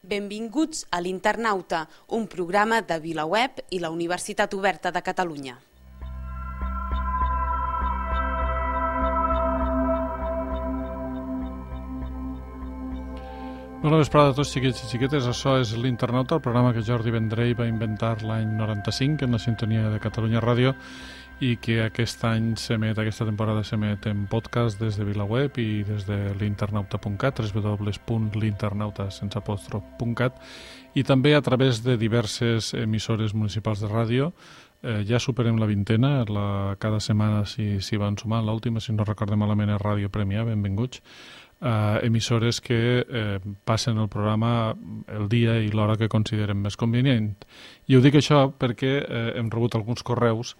Benvinguts a l'Internauta, un programa de VilaWeb i la Universitat Oberta de Catalunya. Bona vesprada a tots, xiquets i xiquetes. Això és l'Internauta, el programa que Jordi Vendrell va inventar l'any 95 en la sintonia de Catalunya Ràdio i que aquest any s'emet, aquesta temporada s'emet en podcast des de VilaWeb i des de l'internauta.cat, www.l'internauta.cat i també a través de diverses emissores municipals de ràdio. Ja superem la vintena, cada setmana s'hi van sumant. L'última, si no recordem malament, és Ràdio Premià, benvinguts. Emissores que passen el programa el dia i l'hora que considerem més convenient. I ho dic això perquè hem rebut alguns correus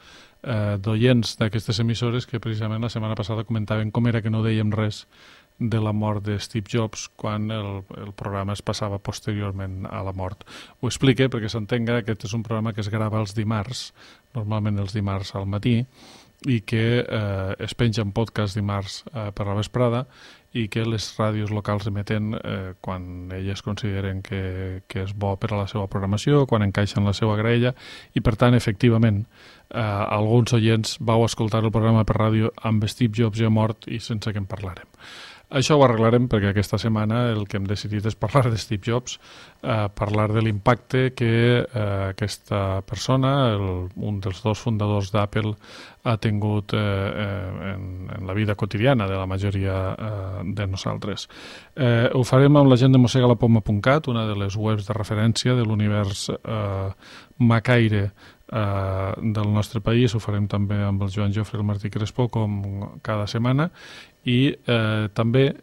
d'oients d'aquestes emissores que precisament la setmana passada comentaven com era que no dèiem res de la mort de Steve Jobs quan el programa es passava posteriorment a la mort. Ho explique perquè s'entenga, aquest és un programa que es grava els dimarts, normalment els dimarts al matí, i que es penja en podcast dimarts per la vesprada i que les ràdios locals emeten quan elles consideren que és bo per a la seva programació, quan encaixen la seva graella, i per tant, efectivament, alguns oients vau escoltar el programa per ràdio amb Steve Jobs ja mort i sense que en parlarem. Això ho arreglarem perquè aquesta setmana el que hem decidit és parlar de Steve Jobs, parlar de l'impacte que aquesta persona, un dels dos fundadors d'Apple, ha tingut en la vida quotidiana de la majoria de nosaltres. Ho farem amb la gent de mosegalapoma.cat, una de les webs de referència de l'univers macaire del nostre país. Ho farem també amb el Joan Jofre i el Martí Crespo, com cada setmana, i també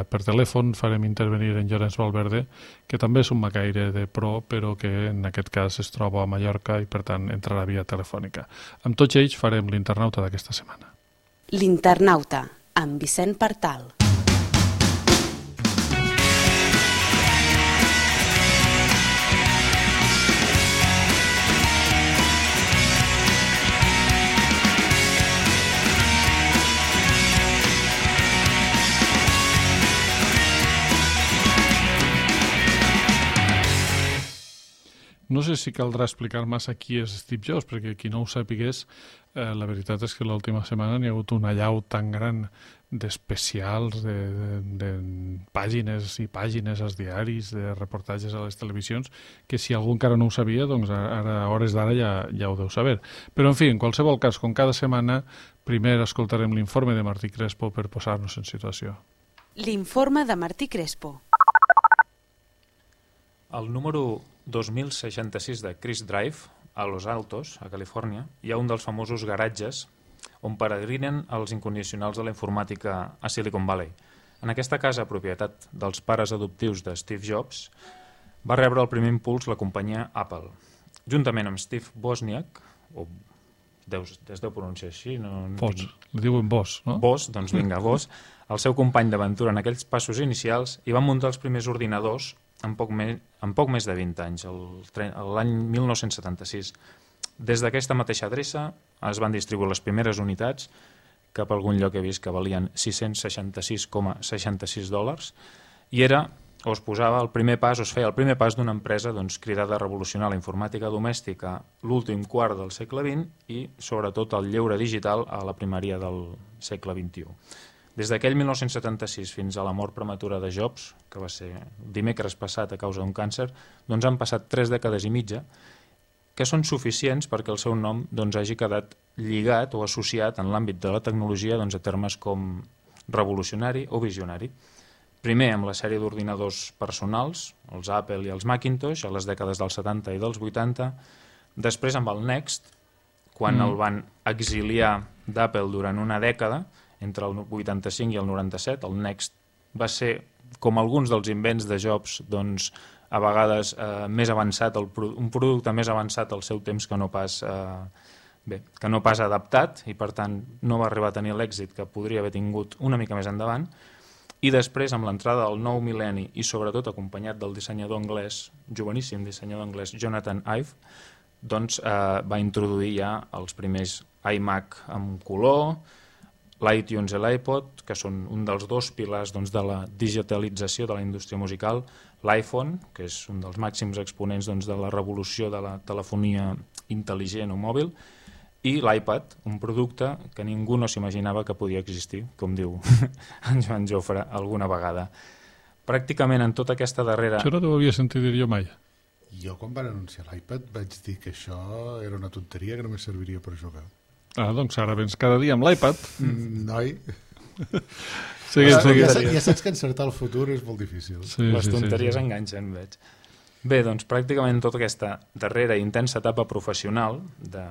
per telèfon farem intervenir en Llorenç Valverde, que també és un macaire de pro, però que en aquest cas es troba a Mallorca i per tant entrarà via telefònica. Amb tots ells farem l'Internauta d'aquesta setmana. L'Internauta, amb Vicent Partal. No sé si caldrà explicar massa qui és Steve Jobs, perquè qui no ho sapigués, la veritat és que l'última setmana n'hi ha hagut una allau tan gran d'especials, de pàgines i pàgines als diaris, de reportatges a les televisions, que si algú encara no ho sabia, doncs ara, a hores d'ara ja ho deu saber. Però, en fi, en qualsevol cas, com cada setmana, primer escoltarem l'informe de Martí Crespo per posar-nos en situació. L'informe de Martí Crespo. Al número 2066 de Chris Drive, a Los Altos, a Califòrnia, hi ha un dels famosos garatges on peregrinen els incondicionals de la informàtica a Silicon Valley. En aquesta casa, propietat dels pares adoptius de Steve Jobs, va rebre el primer impuls la companyia Apple. Juntament amb Steve Wozniak, o es deu pronunciar així, li diuen Woz, no? Woz, doncs vinga, Woz, el seu company d'aventura en aquells passos inicials, i van muntar els primers ordinadors en poc més de 20 anys, l'any 1976. Des d'aquesta mateixa adreça es van distribuir les primeres unitats, cap a algun lloc he vist que valien $666,66, i es feia el primer pas d'una empresa cridada a revolucionar la informàtica domèstica l'últim quart del segle XX i, sobretot, el lleure digital a la primària del segle XXI. Des d'aquell 1976 fins a la mort prematura de Jobs, que va ser dimecres passat a causa d'un càncer, doncs han passat 3 dècades i mitja, que són suficients perquè el seu nom hagi quedat lligat o associat en l'àmbit de la tecnologia a termes com revolucionari o visionari. Primer amb la sèrie d'ordinadors personals, els Apple i els Macintosh, a les dècades dels 70 i dels 80, després amb el Next, quan el van exiliar d'Apple durant una dècada, entre el 85 i el 97, el Next va ser, com alguns dels invents de Jobs, a vegades més avançat, un producte més avançat al seu temps que no pas adaptat, i per tant no va arribar a tenir l'èxit que podria haver tingut una mica més endavant. I després, amb l'entrada del nou mil·lenni i sobretot acompanyat del dissenyador anglès, joveníssim dissenyador anglès, Jonathan Ive, va introduir ja els primers iMac amb color, l'iTunes i l'iPod, que són un dels dos pilars doncs, de la digitalització de la indústria musical, l'iPhone, que és un dels màxims exponents doncs, de la revolució de la telefonia intel·ligent o mòbil, i l'iPad, un producte que ningú no s'imaginava que podia existir, com diu en Joan Jofre alguna vegada. Pràcticament en tota aquesta darrera... Això no t'ho havia sentit dir jo mai. Jo quan van anunciar l'iPad vaig dir que això era una tonteria que només serviria per jugar. Ah, doncs ara vens cada dia amb l'iPad. Noi, Seguim. ja saps que encertar el futur és molt difícil. Sí, Les tonteries enganxen, veig. Bé, doncs pràcticament tota aquesta darrera i intensa etapa professional de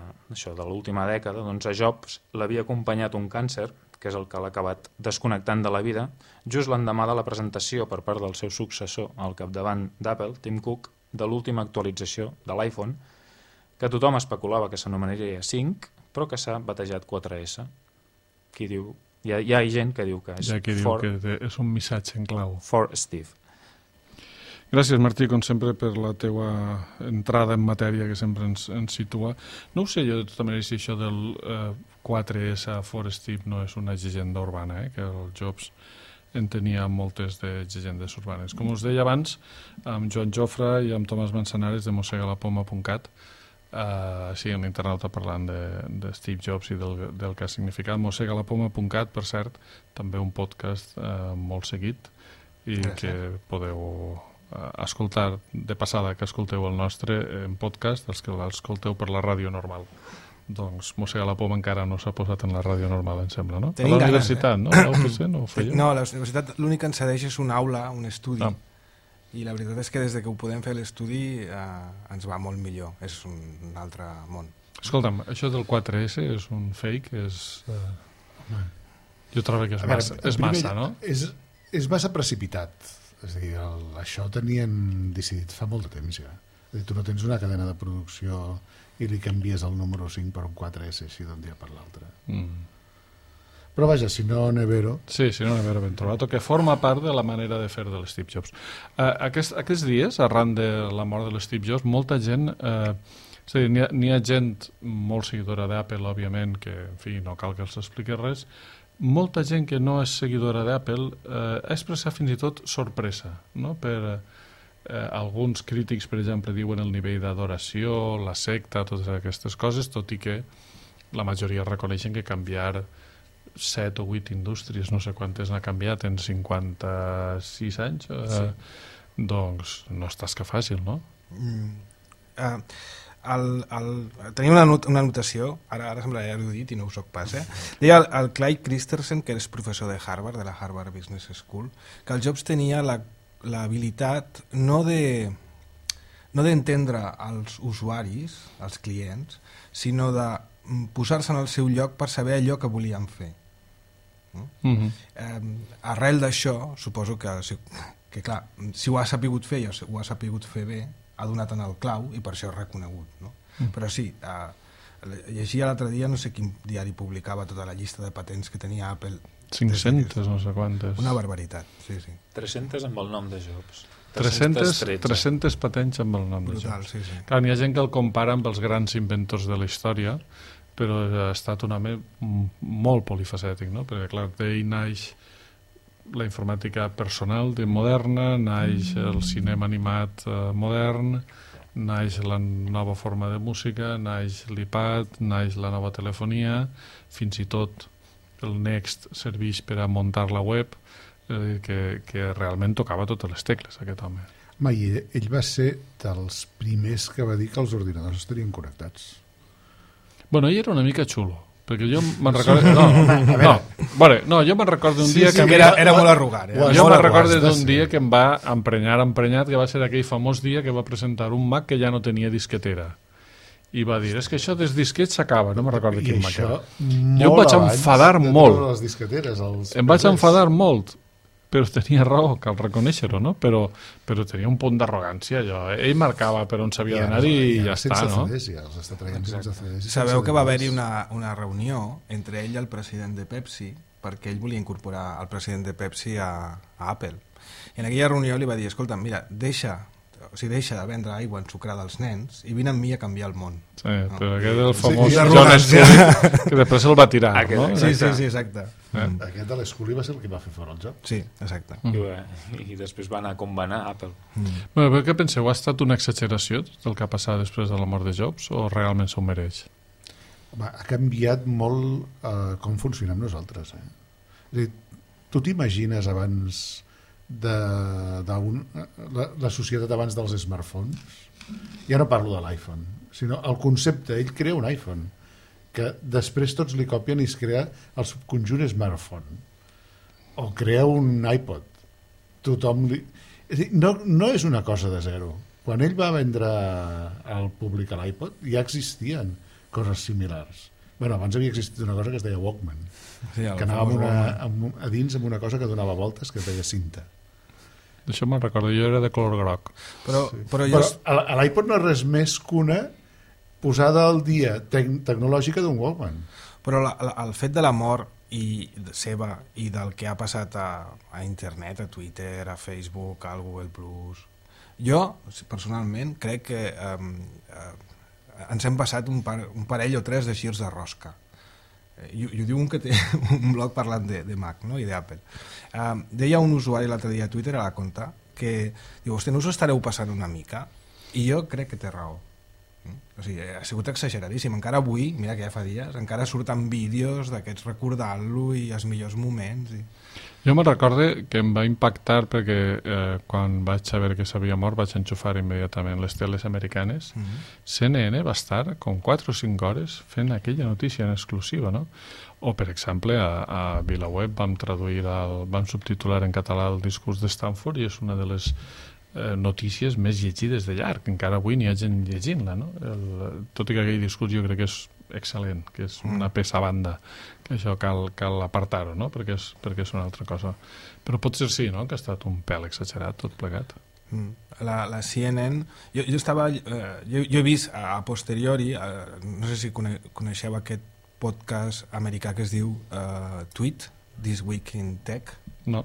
l'última dècada, doncs a Jobs l'havia acompanyat un càncer, que és el que l'ha acabat desconnectant de la vida, just l'endemà de la presentació per part del seu successor al capdavant d'Apple, Tim Cook, de l'última actualització de l'iPhone, que tothom especulava que s'anomenaria 5, però que s'ha batejat 4S. Qui diu... Hi ha gent que diu que és, Hi ha qui diu que és un missatge en clau. For Steve. Gràcies, Martí, com sempre, per la teua entrada en matèria que sempre ens situa. No ho sé jo, de tota manera, si això del 4S a Forest Steve no és una llegenda urbana, que el Jobs en tenia moltes de llegendes urbanes. Com us deia abans, amb Joan Jofre i amb Tomàs Manzanares de mosegalapoma.cat, sí, en internauta parlant de Steve Jobs i del que ha significat. mosegalapoma.cat, per cert, també un podcast molt seguit i que podeu escoltar de passada, que escolteu el nostre en podcast, els que l'escolteu per la ràdio normal. Doncs Mossega la Poma encara no s'ha posat en la ràdio normal, em sembla, no? Tenim a la universitat, no? A l'UPC no ho fèieu? No, a la universitat l'únic que ens cedeix és una aula, un estudi, i la veritat és que des que ho podem fer l'estudi ens va molt millor, és un altre món. Escolta'm, això del 4S és un fake, jo trobo que és massa, no? És massa precipitat. És a dir, això ho tenien decidit fa molt de temps ja. És a dir, tu no tens una cadena de producció i li canvies el número 5 per un 4S així d'un dia per l'altre. Però vaja, si no Nevero... Sí, si no Nevero ben trobat, que forma part de la manera de fer de l'Steve Jobs. Aquests dies, arran de la mort de l'Steve Jobs, molta gent... És a dir, n'hi ha gent molt seguidora d'Apple, òbviament, que, en fi, no cal que els expliqui res. Molta gent que no és seguidora d'Apple ha expressat fins i tot sorpresa, no? Per alguns crítics, per exemple, diuen el nivell d'adoració, la secta, totes aquestes coses, tot i que la majoria reconeixen que canviar 7 o 8 indústries, no sé quantes n'ha canviat en 56 anys, doncs no és tasca fàcil, no? Tenia una anotació, ara semblarà erudit i no ho soc pas, deia el Clyde Christensen, que és professor de Harvard, de la Harvard Business School, que el Jobs tenia l'habilitat no d'entendre els usuaris, els clients, sinó de posar-se en el seu lloc per saber allò que volien fer. Arrel d'això, suposo que clar, si ho ha sapigut fer i ho ha sapigut fer bé, ha donat en el clau i per això és reconegut, no? Però sí, llegia l'altre dia, no sé quin diari publicava tota la llista de patents que tenia Apple. 500, no sé quantes. Una barbaritat, sí. 300 amb el nom de Jobs. 300 patents amb el nom de Jobs. Sí. Clar, n'hi ha gent que el compara amb els grans inventors de la història, però ha estat un home molt polifacètic, no? Perquè, clar, d'ell naix la informàtica personal moderna, naix el cinema animat modern, naix la nova forma de música, naix l'iPad, naix la nova telefonia, fins i tot el Next serveix per a muntar la web, que realment tocava totes les tecles, aquest home. Ell va ser dels primers que va dir que els ordinadors estarien connectats. Bueno, ell era una mica xulo, perquè jo me'n recordo... jo me'n recordo un dia que... Era molt arrogant. Jo me'n recordo d'un dia que em va emprenyat, que va ser aquell famós dia que va presentar un Mac que ja no tenia disquetera. I va dir, és que això dels disquets s'acaba, no me'n recordo quin Mac era. Jo em vaig enfadar molt. Em vaig enfadar molt, però tenia raó, cal reconèixer-ho, no? Però tenia un punt d'arrogància, allò. Ell marcava per on s'havia d'anar i ja està, no? Sabeu que va haver-hi una reunió entre ell i el president de Pepsi, perquè ell volia incorporar el president de Pepsi a Apple. I en aquella reunió li va dir, escolta, mira, deixa, deixa de vendre aigua ensucrada als nens i vine amb mi a canviar el món. Sí, però aquest és el famós Sí, John Scully, que després el va tirar, no? Sí, exacte. Aquest de l'Scully va ser el que va fer fora el joc. Sí, exacte. I després va anar com va anar Apple. Bueno, però què penseu? Ha estat una exageració tot el que ha passat després de la mort de Jobs o realment s'ho mereix? Home, ha canviat molt com funcionem nosaltres. És a dir, tu t'imagines abans la societat abans dels smartphones? Ja no parlo de l'iPhone, sinó el concepte. Ell crea un iPhone que després tots li copien i es crea el subconjunt smartphone, o crea un iPod. Tothom li... És a dir, no és una cosa de zero. Quan ell va vendre al públic l'iPod ja existien coses similars. Bueno, abans havia existit una cosa que es deia Walkman, Sí, que anava a dins amb una cosa que donava voltes que es deia cinta. Això me'n recordo, jo era de color groc. Però Però l'iPod no és res més que una posada al dia tecnològica d'un Walkman. Però el fet de la mort seva i del que ha passat a internet, a Twitter, a Facebook, al Google+, jo, personalment, crec que ens hem passat un parell o tres de girs de rosca. I ho diu un que té un blog parlant de Mac, no? I d'Apple. Deia un usuari l'altre dia a Twitter, a la compte, que diu, hosti, no us estareu passant una mica? I jo crec que té raó. O sigui, ha sigut exageradíssim. Encara avui, mira que ja fa dies, encara surten vídeos d'aquests recordant-lo i els millors moments. Jo me'n recordo que em va impactar perquè quan vaig saber que s'havia mort vaig enxufar immediatament les teles americanes. CNN va estar com 4 o 5 hores fent aquella notícia en exclusiva, no? O, per exemple, a VilaWeb vam subtitular en català el discurs de Stanford i és una de les notícies més llegides de llarg. Encara avui n'hi ha gent llegint-la, no? Tot i que aquell discurs jo crec que és excel·lent, que és una peça a banda, que això cal apartar-ho, no? Perquè és una altra cosa. Però potser sí, no?, que ha estat un pèl exagerat tot plegat. La CNN, jo he vist a posteriori, no sé si coneixeu aquest podcast americà que es diu Tweet, This Week in Tech. No.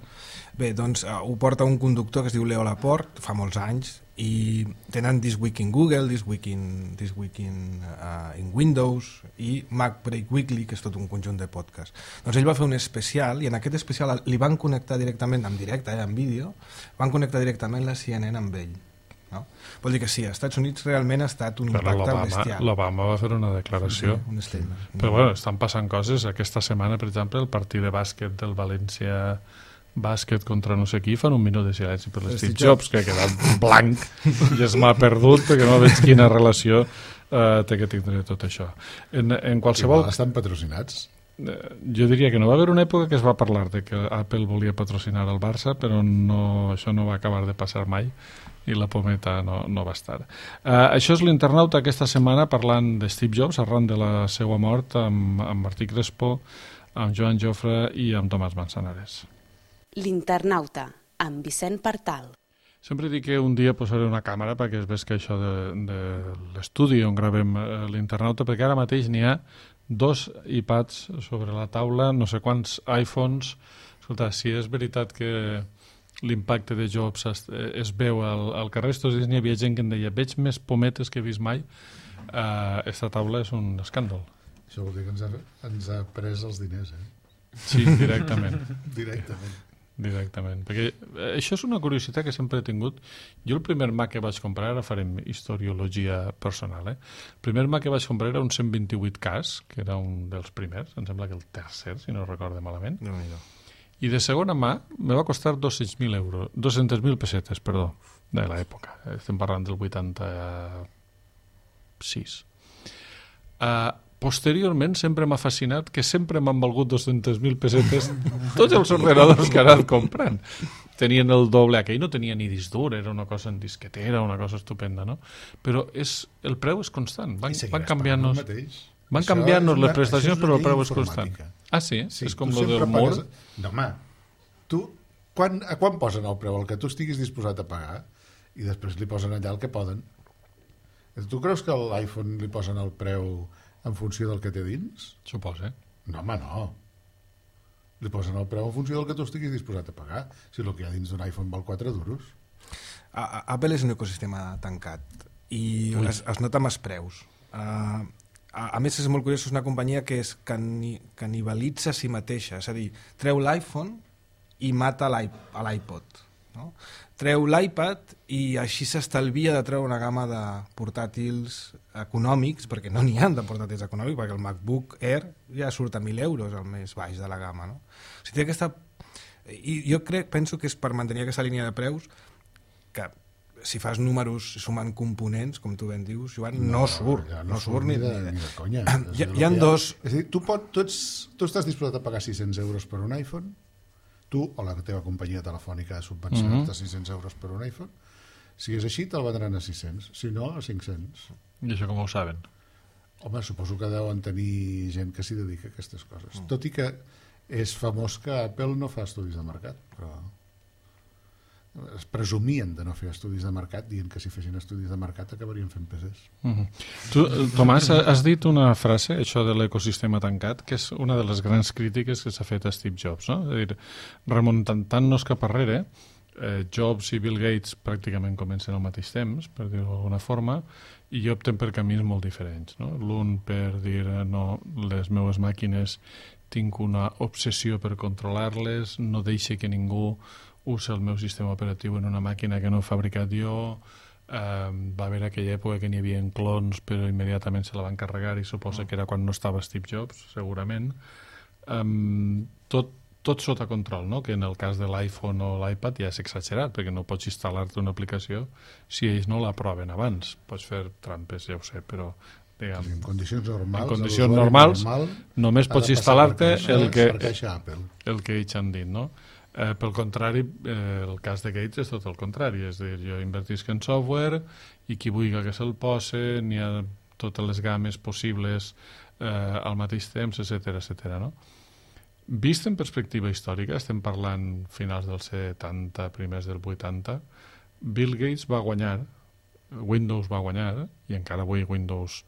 Bé, doncs ho porta un conductor que es diu Leo Laporte, fa molts anys, i tenen This Week in Google, This Week in Windows i Mac Break Weekly, que és tot un conjunt de podcasts. Doncs ell va fer un especial i en aquest especial li van connectar directament, en directe, en vídeo, van connectar directament la CNN amb ell. No? Vol dir que sí, als Estats Units realment ha estat un impacte bestial. L'Obama va fer una declaració. Sí, un statement. Però bueno, estan passant coses. Aquesta setmana, per exemple, el partit de bàsquet del València Bàsquet contra no sé qui fan un minut de silenci per l'Steve Jobs, que ha quedat blanc i es m'ha perdut perquè no veig quina relació té que tindre tot això. En qualsevol... Igual estan patrocinats. Jo diria que no va haver una època que es va parlar de que Apple volia patrocinar el Barça, però això no va acabar de passar mai i la pometa no va estar. Això és l'Internauta aquesta setmana parlant de Steve Jobs arran de la seva mort amb Martí Crespo, amb Joan Jofre i amb Tomàs Manzanares. L'Internauta, amb Vicent Partal. Sempre dic que un dia posaré una càmera perquè es ves que això de l'estudi on gravem l'Internauta, perquè ara mateix n'hi ha 2 iPads sobre la taula, no sé quants iPhones. Escolta, si és veritat que l'impacte de Jobs es veu al carrer, estos dies n'hi havia gent que em deia veig més pometes que he vist mai, esta taula és un escàndol. Això vol dir que ens ha pres els diners, Sí, directament. Directament, perquè això és una curiositat que sempre he tingut. Jo el primer Mac que vaig comprar, ara farem historiologia personal, el primer Mac que vaig comprar era un 128K, que era un dels primers, em sembla que el tercer, si no recordo malament, i de segona mà me va costar 200.000 pessetes, perdó, de l'època, estem parlant del 86. Posteriorment sempre m'ha fascinat que sempre m'han valgut 200.000 pessetes tots els ordenadors que he anat comprant. Tenien el doble, aquell no tenia ni disc dur, era una cosa en disquetera, una cosa estupenda, no? Però el preu és constant, van canviant-nos les prestacions, però el preu és constant. Ah, sí? És com el del mur? No, home, a quan posen el preu? El que tu estiguis disposat a pagar, i després li posen allà el que poden. Tu creus que a l'iPhone li posen el preu en funció del que té dins? Suposa. No, home, no. Li posen el preu en funció del que tu estiguis disposat a pagar. Si el que hi ha dins d'un iPhone val 4 duros. Apple és un ecosistema tancat i es nota amb els preus. A més, és molt curiós, és una companyia que es canibalitza a si mateixa, és a dir, treu l'iPhone i mata l'iPod, no? Treu l'iPad i així s'estalvia de treure una gamma de portàtils econòmics, perquè no n'hi ha de portàtils econòmics, perquè el MacBook Air ja surt a 1.000 euros al més baix de la gamma, no? O sigui, i jo penso que és per mantenir aquesta línia de preus que si fas números sumant components, com tu ben dius, Joan, no surt ni de conya. Hi ha dos... És a dir, tu estàs disposat a pagar 600 euros per un iPhone, tu o la teva companyia telefònica ha subvencionat 600 euros per un iPhone, si és així te'l vendran a 600, si no a 500. I això com ho saben? Home, suposo que deuen tenir gent que s'hi dedica a aquestes coses. Tot i que és famós que Apple no fa estudis de mercat, però es presumien de no fer estudis de mercat dient que si fessin estudis de mercat acabarien fent PCs. Tu, Tomàs, has dit una frase, això de l'ecosistema tancat, que és una de les grans crítiques que s'ha fet a Steve Jobs, no? És a dir, remuntant-nos cap arrere, Jobs i Bill Gates pràcticament comencen al mateix temps, per dir-ho d'alguna forma, i opten per camins molt diferents, no? L'un per dir, no, les meves màquines tinc una obsessió per controlar-les, no deixe que ningú usa el meu sistema operatiu en una màquina que no he fabricat jo. Va haver aquella època que n'hi havia clons, però immediatament se la van carregar i suposa que era quan no estava Steve Jobs, segurament. Tot sota control, no? Que en el cas de l'iPhone o l'iPad ja és exagerat, perquè no pots instal·lar-te una aplicació si ells no l'aproven abans. Pots fer trampes, ja ho sé, però diguem, en condicions normals només pots instal·lar-te el que ells han dit, no? Pel contrari, el cas de Gates és tot el contrari, és a dir, jo invertisc en software i qui vulgui que se'l posa, n'hi ha totes les games possibles al mateix temps, etc. No? Vist en perspectiva històrica, estem parlant finals dels 70, primers del 80, Bill Gates va guanyar, Windows va guanyar, i encara avui Windows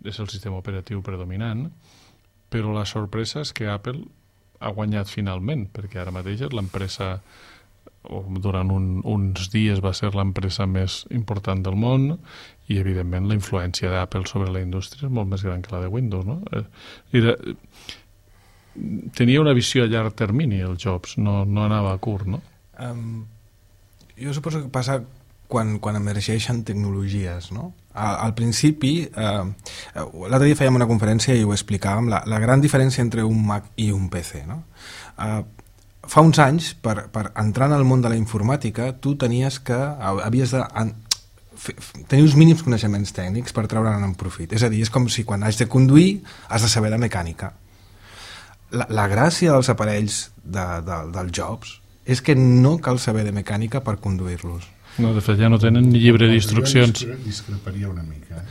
és el sistema operatiu predominant, però la sorpresa és que Apple ha guanyat finalment, perquè ara mateix és l'empresa, o durant uns dies va ser l'empresa més important del món, i evidentment la influència d'Apple sobre la indústria és molt més gran que la de Windows, no? Tenia una visió a llarg termini el Jobs, no anava a curt, no? Jo suposo que passa quan emergeixen tecnologies, no? Al principi, l'altre dia fèiem una conferència i ho explicàvem, la gran diferència entre un Mac i un PC, no? Fa uns anys, per entrar en el món de la informàtica, tu havies de tenir uns mínims coneixements tècnics per treure'n en profit. És a dir, és com si quan has de conduir has de saber de mecànica. La gràcia dels aparells del Jobs és que no cal saber de mecànica per conduir-los. No, de fet, ja no tenen ni llibre d'instruccions. Jo discreparia una mica.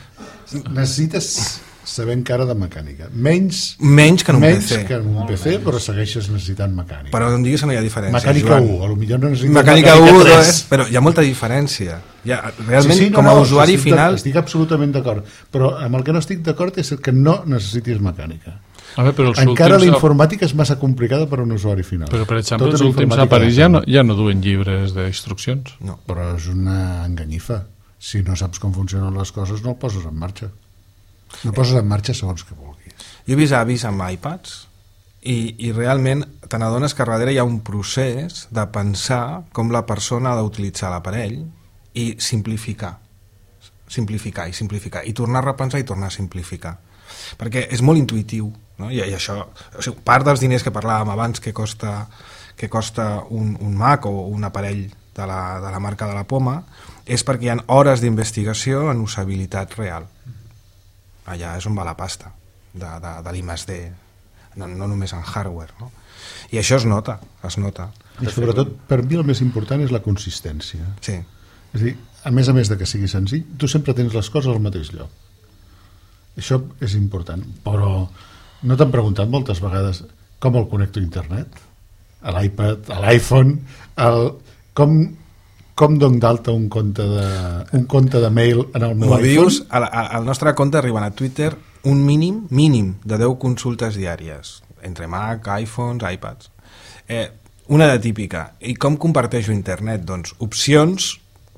Necessites saber encara de mecànica. Menys que en un PC, però segueixes necessitant mecànica. Però no em diguis que no hi ha diferència, Mecànica Joan. 1, potser no necessites mecànica 1, 2, però hi ha molta diferència. Realment, com a usuari final... Estic absolutament d'acord, però amb el que no estic d'acord és que no necessitis mecànica. Però encara la informàtica és massa complicada per a un usuari final. Però, per exemple, els últims aparells ja no duen llibres d'instruccions. No. Però és una enganyifa. Si no saps com funcionen les coses, no el poses en marxa. No poses en marxa segons que vulguis. Jo he vist avis amb iPads i realment te n'adones que darrere hi ha un procés de pensar com la persona ha d'utilitzar l'aparell i simplificar i tornar a repensar i tornar a simplificar, perquè és molt intuïtiu, no? I això, o sigui, part dels diners que parlàvem abans que costa un Mac o un aparell de la marca de la Poma és perquè hi ha hores d'investigació en usabilitat real. Allà és on va la pasta de l'I+D, no només en hardware, no? I això es nota. I sobretot, per mi el més important és la consistència. Sí. És a dir, a més de que sigui senzill, tu sempre tens les coses al mateix lloc. Això és important, però no t'han preguntat moltes vegades com el connecto a internet? A l'iPad, a l'iPhone, com dono d'alta un compte de mail en el meu iPhone? Dius, al nostre compte arriben a Twitter un mínim de 10 consultes diàries, entre Mac, iPhones, iPads. Una de típica. I com comparteixo internet? Doncs opcions,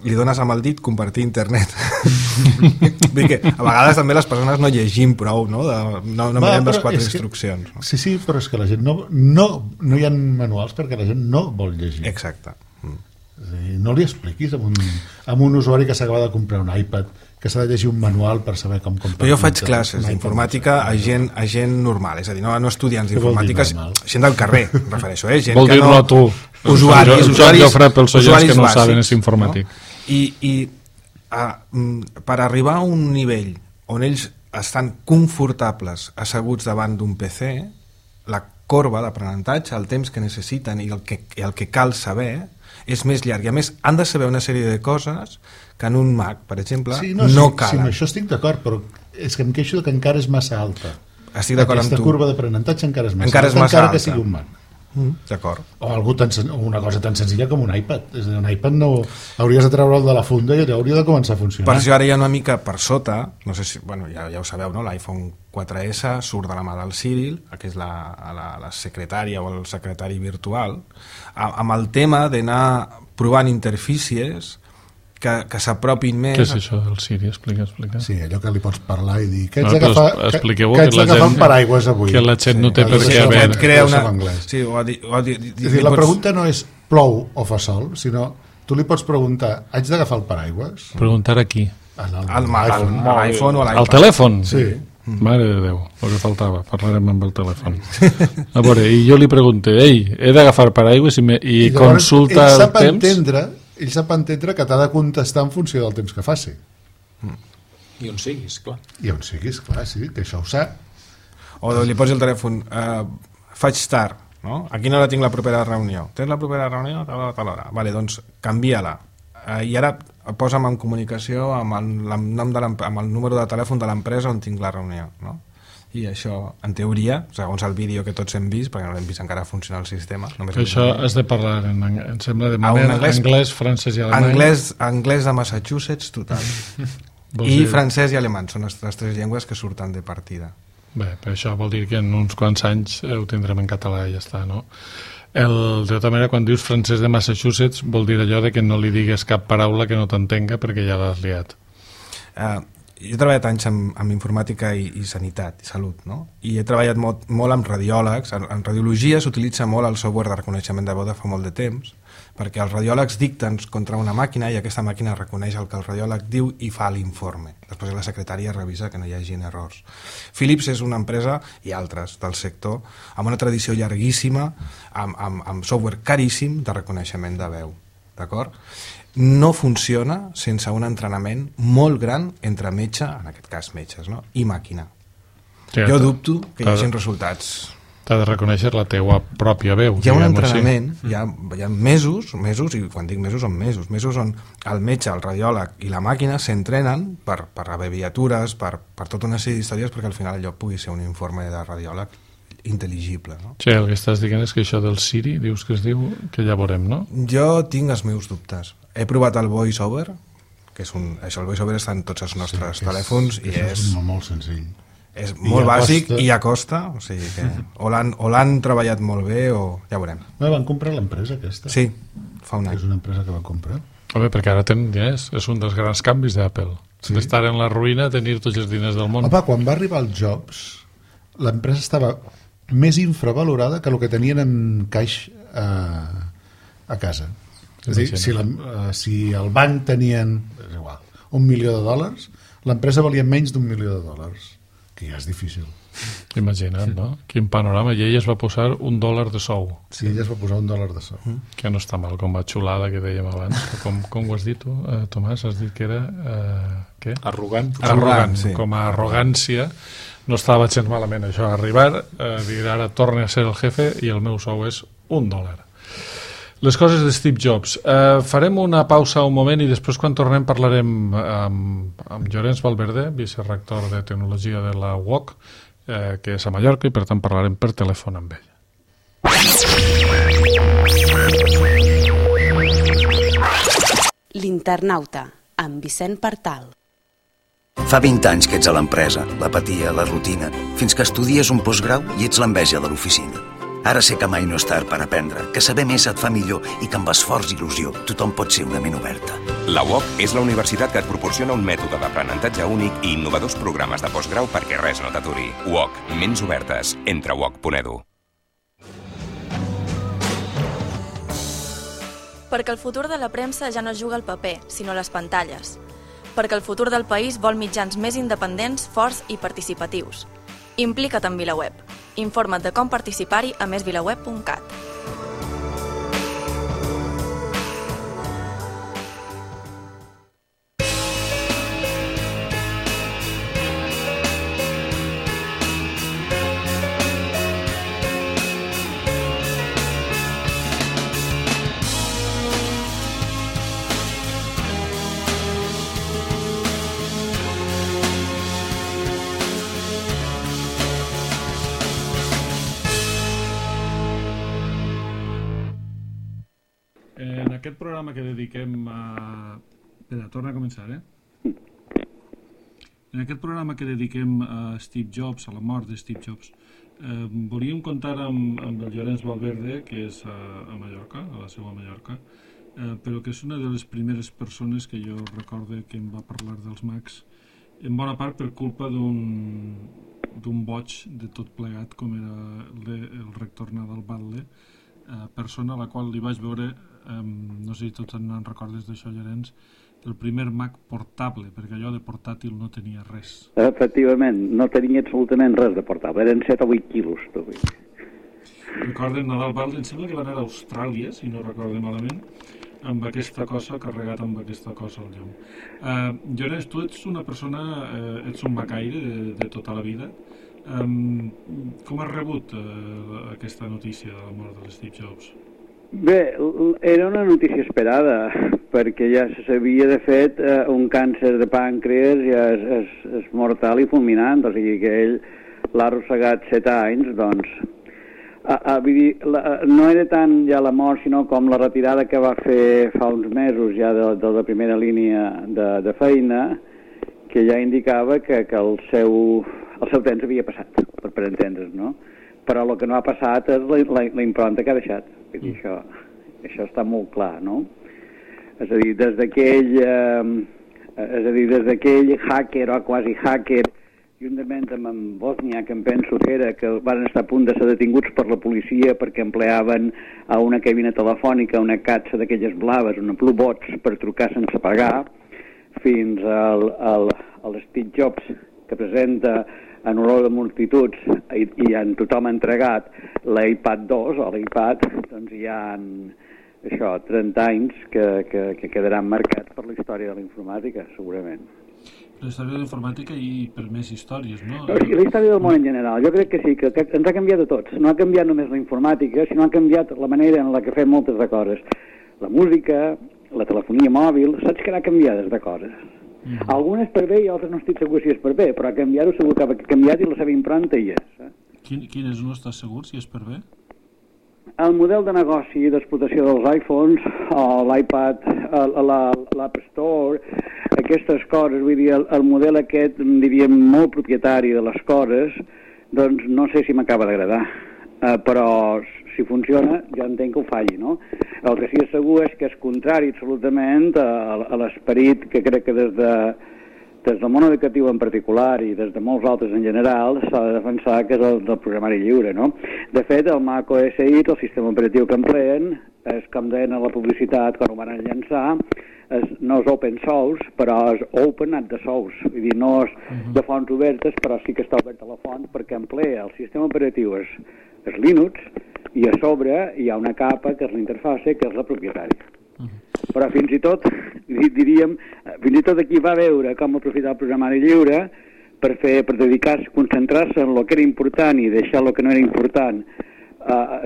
li dones amb el dit compartir internet. Vull dir que a vegades també les persones no llegim prou, no? No mirem les 4 instruccions. No? Sí, però és que la gent no hi ha manuals perquè la gent no vol llegir. Exacte. És a dir, no li expliquis a un usuari que s'acaba de comprar un iPad que s'ha de llegir un manual per saber com comprar. Però jo faig classes d'informàtica a gent normal, és a dir, no estudiants d'informàtica, gent del carrer, refereixo, gent vol que no... Vol dir-lo a tu. Usuaris Jofre, pels oients que no ho saben, és informàtic. No? I per arribar a un nivell on ells estan confortables asseguts davant d'un PC, la corba d'aprenentatge, el temps que necessiten i el que cal saber és més llarg. I a més han de saber una sèrie de coses que en un Mac, per exemple, no calen. Sí, amb això estic d'acord, però és que em queixo que encara és massa alta. Estic d'acord amb tu. Aquesta curva d'aprenentatge encara és massa alta, encara que sigui un Mac. D'acord. O una cosa tan senzilla com un iPad. És a dir, un iPad no hauries de treure'l de la funda i hauria de començar a funcionar. Per això ara hi ha una mica per sota, no sé si, bueno, ja ho sabeu, no? L'iPhone 4S surt de la mà del Cyril, que és la secretària o el secretari virtual, amb el tema d'anar provant interfícies que s'apropin més... Què és això del Siri? Explica. Sí, allò que li pots parlar i dir que ets d'agafar un paraigües avui. Que la gent no té per què haver... Et crea una... Sí, és dir, la pregunta no és plou o fa sol, sinó tu li pots preguntar, haig d'agafar el paraigües? Preguntar a qui? A l'iPhone o a l'iPad. Al telèfon? Sí. Mare de Déu, el que faltava, parlarem amb el telèfon. A veure, i jo li pregunté, he d'agafar paraigües i consulta el temps... Ell sap entendre que t'ha de contestar en funció del temps que faci. I on siguis, clar. I on siguis, clar, sí, que això ho sap. O li posi el telèfon, faig tard, no? A quina hora tinc la propera reunió? Tens la propera reunió? A tal hora. Vale, doncs canvia-la. I ara posa'm en comunicació amb el número de telèfon de l'empresa on tinc la reunió, no? I això, en teoria, segons el vídeo que tots hem vist, perquè no l'hem vist encara funcionar el sistema... Això has de parlar, em sembla, de manera anglès, francès i alemany. Anglès de Massachusetts, total. I francès i alemany són les 3 llengües que surten de partida. Bé, per això vol dir que en uns quants anys ho tindrem en català i ja està, no? De tota manera, quan dius francès de Massachusetts, vol dir allò de que no li digues cap paraula que no t'entenga perquè ja l'has liat. Jo he treballat anys amb informàtica i sanitat i salut, no? I he treballat molt amb radiòlegs. En radiologia s'utilitza molt el software de reconeixement de veu de fa molt de temps, perquè els radiòlegs dicten contra una màquina i aquesta màquina reconeix el que el radiòleg diu i fa l'informe. Després la secretària revisa que no hi hagi errors. Philips és una empresa, i altres del sector, amb una tradició llarguíssima, amb software caríssim de reconeixement de veu. D'acord? No funciona sense un entrenament molt gran entre metge, en aquest cas metges, no? I màquina. Sí, jo dubto que hi hagi resultats. T'ha de reconèixer la teua pròpia veu. Hi ha un entrenament, hi ha mesos, i quan dic mesos són mesos on el metge, el radiòleg i la màquina s'entrenen per abreviatures, per tota una sèrie d'històries perquè al final allò pugui ser un informe de radiòleg intel·ligible, no? Sí, el que estàs dient és que això del Siri, dius que es diu, que ja veurem, no? Jo tinc els meus dubtes. He provat el VoiceOver, que és el VoiceOver està en tots els nostres telèfons i és molt senzill. És molt bàsic i a costa, o sigui que o l'han treballat molt bé o ja veurem. Van comprar l'empresa aquesta? Sí, fa un any. És una empresa que van comprar? Home, perquè ara tenen diners, és un dels grans canvis d'Apple. Sí. D'estar en la ruïna a tenir tots els diners del món. Home, quan va arribar el Jobs, l'empresa estava més infravalorada que el que tenien en caix a casa. És a dir, si el banc tenien és igual, $1 milió, l'empresa valia menys d'$1 milió, que ja és difícil. Imagina't, no? Quin panorama. I ella es va posar $1 de sou. Sí, ella es va posar $1 de sou. Que no està mal, com la xulada que dèiem abans. Com ho has dit tu, Tomàs? Has dit que era... què? Arrogant. Arrogant, sí. Com a arrogància. No estava gens malament això, arribar, dir ara torne a ser el jefe i el meu sou és $1. Les coses de Steve Jobs. Farem una pausa un moment i després quan tornem parlarem amb Llorenç Valverde, vicerector de tecnologia de la UOC, que és a Mallorca i per tant parlarem per telèfon amb ell. L'Internauta, amb Vicent Partal. Fa 20 anys que ets a l'empresa, l'apatia, la rutina, fins que estudies un postgrau i ets l'enveja de l'oficina. Ara sé que mai no és tard per aprendre, que saber més et fa millor i que amb esforç i il·lusió tothom pot ser una ment oberta. La UOC és la universitat que et proporciona un mètode d'aprenentatge únic i innovadors programes de postgrau perquè res no t'aturi. UOC, ments obertes. Entra a uoc.edu. Perquè el futur de la premsa ja no juga al paper, sinó a les pantalles. Perquè el futur del país vol mitjans més independents, forts i participatius. Implica't en VilaWeb. Informa't de com participar-hi a mesvilaweb.cat. En aquest programa que dediquem a... Espera, torna a començar, En aquest programa que dediquem a Steve Jobs, a la mort de Steve Jobs, volíem comptar amb el Llorenç Valverde, que és a Mallorca, a la seva Mallorca, però que és una de les primeres persones que jo recorde que em va parlar dels Macs, en bona part per culpa d'un boig de tot plegat, com era el rector Nadal Batlle, persona a la qual li vaig veure, no sé si tots en recordes d'això, Llorenç, el primer Mac portable, perquè allò de portàtil no tenia res. Efectivament, no tenia absolutament res de portable, eren 7 o 8 quilos. Recorden Nadal Batlle, em sembla que va anar a Austràlia, si no recordo malament, amb aquesta cosa, carregat amb aquesta cosa al llum. Llorenç, tu ets una persona, ets un macaire de tota la vida. Com has rebut aquesta notícia de la mort de Steve Jobs? Bé, era una notícia esperada, perquè ja se sabia, de fet, un càncer de pàncreas ja és mortal i fulminant, o sigui que ell l'ha arrossegat 7 anys, doncs. No era tant ja la mort, sinó com la retirada que va fer fa uns mesos ja de la primera línia de feina, que ja indicava que el seu temps havia passat, per entendre's, no? Però el que no ha passat és la impronta que ha deixat. Vull dir, això està molt clar, no? És a dir, des d'aquell hacker o quasi hacker, juntament amb en Bosnia, que em penso que era, que van estar a punt de ser detinguts per la policia perquè empleaven a una cabina telefònica una catxa d'aquelles blaves, una Blue Bots, per trucar sense pagar, fins al Steve Jobs, que presenta en olor de multituds i en tothom ha entregat l'iPad 2 o l'iPad, doncs hi ha 30 anys que quedaran marcats per la història de la informàtica, segurament. La història de la informàtica i per més històries, no? La història del món en general, jo crec que sí, que ens ha canviat a tots. No ha canviat només la informàtica, sinó ha canviat la manera en la que fem moltes de coses. La música, la telefonia mòbil, saps que han canviat de coses. Algunes per bé i altres no estic segur si és per bé, però canviar-ho segur que ha canviat i la seva impronta hi és. Quines no estàs segur si és per bé? El model de negoci d'explotació dels iPhones, l'iPad, l'App Store, aquestes coses, vull dir, el model aquest, diríem, molt propietari de les coses, doncs no sé si m'acaba d'agradar, però si funciona jo entenc que ho falli, no? El que sí és segur és que és contrari absolutament a l'esperit que crec que des del món educatiu en particular i des de molts altres en general s'ha de defensar, que és el del programari lliure, no? De fet, el Mac OS X, el sistema operatiu que empleen, és com deien a la publicitat quan ho van llançar, no és open source, però és open at the source, vull dir, no és de fonts obertes, però sí que està oberta la font perquè emplea el sistema operatiu és Linux, i a sobre hi ha una capa que és l'interface, que és la propietària. Però fins i tot, diríem, fins i tot aquí va veure com aprofitar el programari lliure per dedicar-se, concentrar-se en el que era important i deixar el que no era important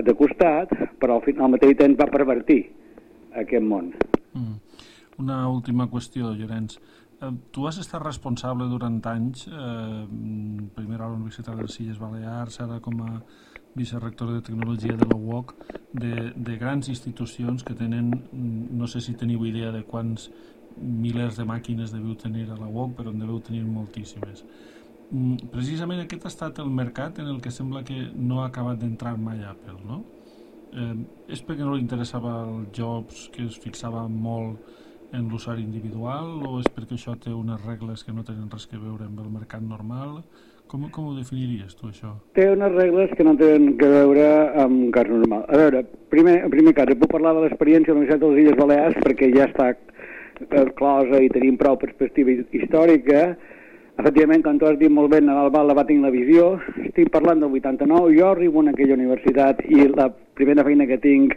de costat, però al mateix temps va pervertir aquest món. Una última qüestió, Llorenç. Tu has estat responsable durant anys, primer a la Universitat de les Illes Balears, ara com a vicerector de tecnologia de la UOC, de grans institucions que tenen, no sé si teniu idea de quants milers de màquines deveu tenir a la UOC, però en deveu tenir moltíssimes. Precisament aquest ha estat el mercat en el que sembla que no ha acabat d'entrar mai Apple, no? És perquè no li interessava el Jobs, que es fixava molt en l'usuari individual, o és perquè això té unes regles que no tenen res que veure amb el mercat normal? Com ho definiries tu, això? Té unes regles que no tenen que veure amb un cas normal. A veure, en primer cas, puc parlar de l'experiència de la Universitat de les Illes Balears perquè ja està closa i tenim prou perspectiva històrica. Efectivament, com tu has dit molt bé, Nadal Bal va tenir la visió. Estic parlant del 89, jo arribo en aquella universitat i la primera feina que tinc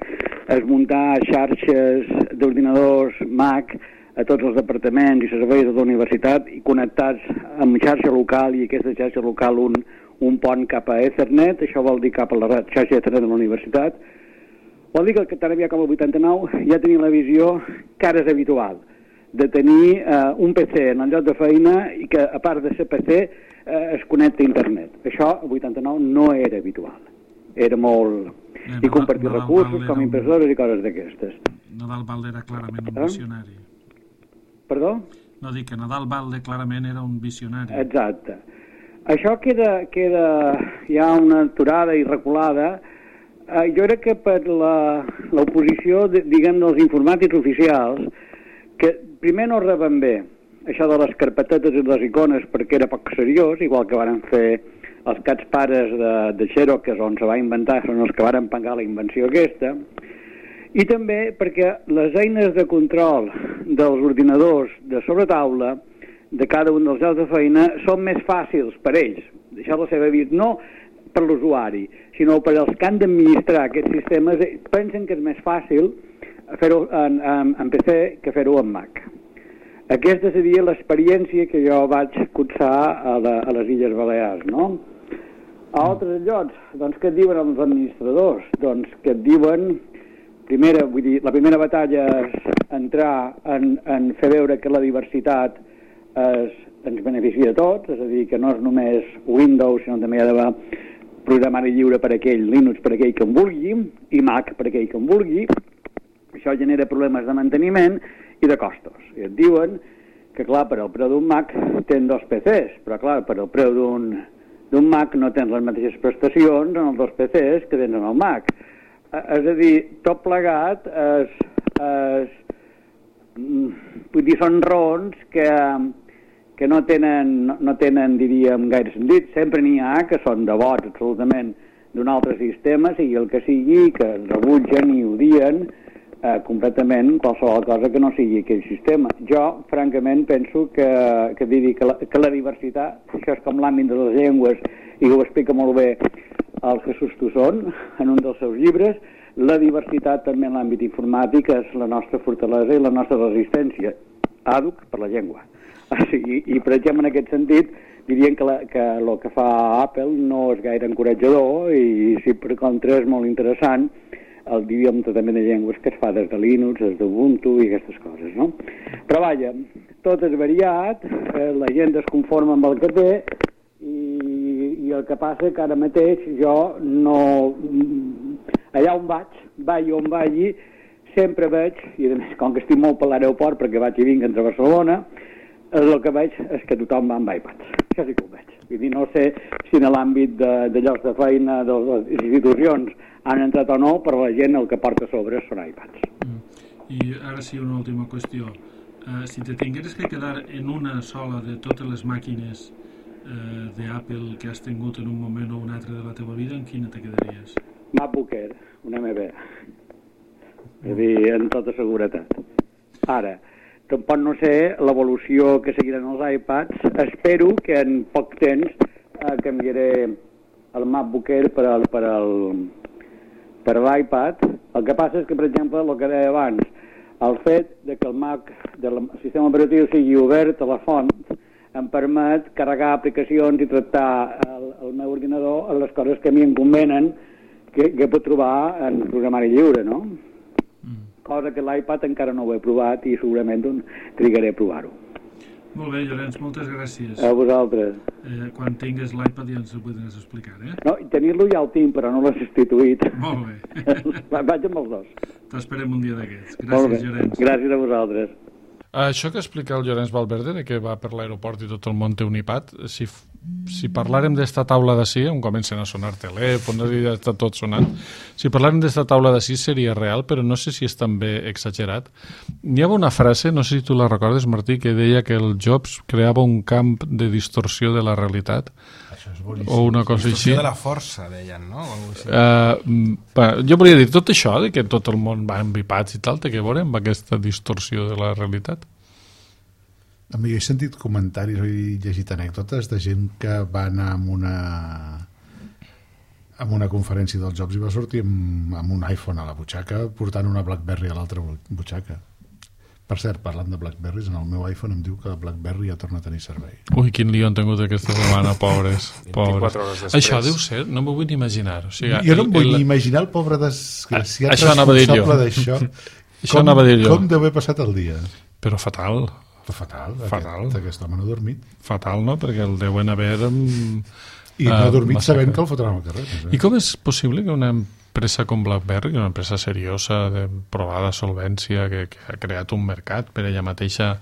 és muntar xarxes d'ordinadors Mac a tots els departaments i serveis de la universitat i connectats amb xarxa local, i aquesta xarxa local un pont cap a Ethernet, això vol dir cap a la xarxa Ethernet de la universitat. Vol dir que tan aviat com el 89 ja tenia la visió que ara és habitual, de tenir un PC en el lloc de feina i que, a part de ser PC, es connecta a internet. Això, el 89, no era habitual. Era molt... I compartir recursos com impressores i coses d'aquestes. Nadal Balde era clarament un visionari. Perdó? No, dic que Nadal Balde clarament era un visionari. Exacte. Això queda ja una aturada i reculada. Jo crec que per l'oposició, diguem, dels informàtics oficials, que primer no reben bé això de les carpetetes i les icones perquè era poc seriós, igual que van fer els cats pares de Xerox, que és on se va inventar, són els que van pagar la invenció aquesta, i també perquè les eines de control dels ordinadors de sobretaula de cada un dels llocs de feina són més fàcils per ells, deixar la seva vida, no per l'usuari, sinó per als que han d'administrar aquests sistemes, pensen que és més fàcil fer-ho en PC que fer-ho en Mac. Aquesta seria l'experiència que jo vaig cursar a les Illes Balears, no? A altres llocs, doncs, què et diuen els administradors? Doncs que et diuen, la primera batalla és entrar en fer veure que la diversitat ens beneficia a tots, és a dir, que no és només Windows, sinó també hi ha d'haver programari lliure per aquell, Linux per aquell que en vulgui, i Mac per aquell que en vulgui. Això genera problemes de manteniment i de costos. I et diuen que, clar, per al preu d'un Mac tens dos PCs, però, clar, per al preu d'un Mac no tens les mateixes prestacions en els dos PCs que tens en el Mac. És a dir, tot plegat vull dir, són raons que no tenen, diríem, gaire sentit. Sempre n'hi ha que són devots absolutament d'un altre sistema, sigui el que sigui, que rebutgen i odien completament qualsevol cosa que no sigui aquell sistema. Jo, francament, penso que la diversitat, això és com l'àmbit de les llengües, i ho explica molt bé el Jesús Tussón en un dels seus llibres, la diversitat també en l'àmbit informàtic és la nostra fortalesa i la nostra resistència. Àduc per la llengua. I, per exemple, en aquest sentit, dirien que el que fa Apple no és gaire encoratjador i, si per contra, és molt interessant diríem tractament de llengües que es fa des de Linux, des d'Ubuntu i aquestes coses, no? Però vaja, tot és variat, la gent es conforma amb el que té i el que passa que ara mateix jo no... Allà on vagi on vagi, sempre veig, i a més com que estic molt per l'aeroport perquè vaig i vinc entre Barcelona, el que veig és que tothom va amb iPads. Això sí que ho veig. Vull dir, no sé si en l'àmbit de llocs de feina de les institucions han entrat o no, però la gent el que porta a sobre són iPads. I ara sí, una última qüestió. Si te tingueres que quedar en una sola de totes les màquines d'Apple que has tingut en un moment o un altre de la teva vida, en quina te quedaries? MacBook Air, un MB. És a dir, en tota seguretat. Ara, tampoc no sé l'evolució que seguiran els iPads. Espero que en poc temps canviaré el MacBook Air per l'iPad. El que passa és que, per exemple, el que deia abans, el fet de que el Mac del sistema operatiu sigui obert a la font em permet carregar aplicacions i tractar el meu ordinador en les coses que a mi em convenen que pot trobar en programari lliure, no? Cosa que l'iPad encara no ho he provat i segurament trigaré a provar-ho. Molt bé, Llorenç, moltes gràcies. A vosaltres. Quan tingues l'iPad ja ens ho podràs explicar, eh? No, tenir-lo ja el tinc, però no l'he substituït. Molt bé. Vaig amb els dos. T'esperem un dia d'aquests. Gràcies, Llorenç. Gràcies a vosaltres. Això que explica el Llorenç Valverde, de que va per l'aeroport i tot el món té un iPad, si si parlàrem d'esta taula d'ací, on comencen a sonar telèfons i ja està tot sonant, si parlàrem d'esta taula d'ací seria real, però no sé si és també exagerat. N'hi havia una frase, no sé si tu la recordes, Martí, que deia que el Jobs creava un camp de distorsió de la realitat. Això és boníssim. O una cosa Distorsió així. de la força, deien, no? O alguna cosa així. Jo volia dir, tot això, de que tot el món va envipats i tal, té que veure amb aquesta distorsió de la realitat? Jo he sentit comentaris o he llegit anècdotes de gent que va anar amb una conferència dels Jobs i va sortir amb un iPhone a la butxaca portant una BlackBerry a l'altra butxaca. Per cert, parlant de BlackBerrys, en el meu iPhone em diu que BlackBerry ja torna a tenir servei. Ui, quin lío han tingut aquesta setmana, pobres. 24 hores després. Això deu ser, no m'ho vull ni imaginar. O sigui, Jo no em vull ni imaginar el pobre desgraciat Això anava a dir jo. responsable d'això. Això anava a dir jo. Com deu haver passat el dia? Però fatal. Fatal. Fatal. Aquest home no ha dormit. Fatal, no? Perquè el deuen haver... I no ha dormit sabent que el fotran al carrer. I com és possible que una empresa com BlackBerry, una empresa seriosa, de provada solvència, que ha creat un mercat per ella mateixa,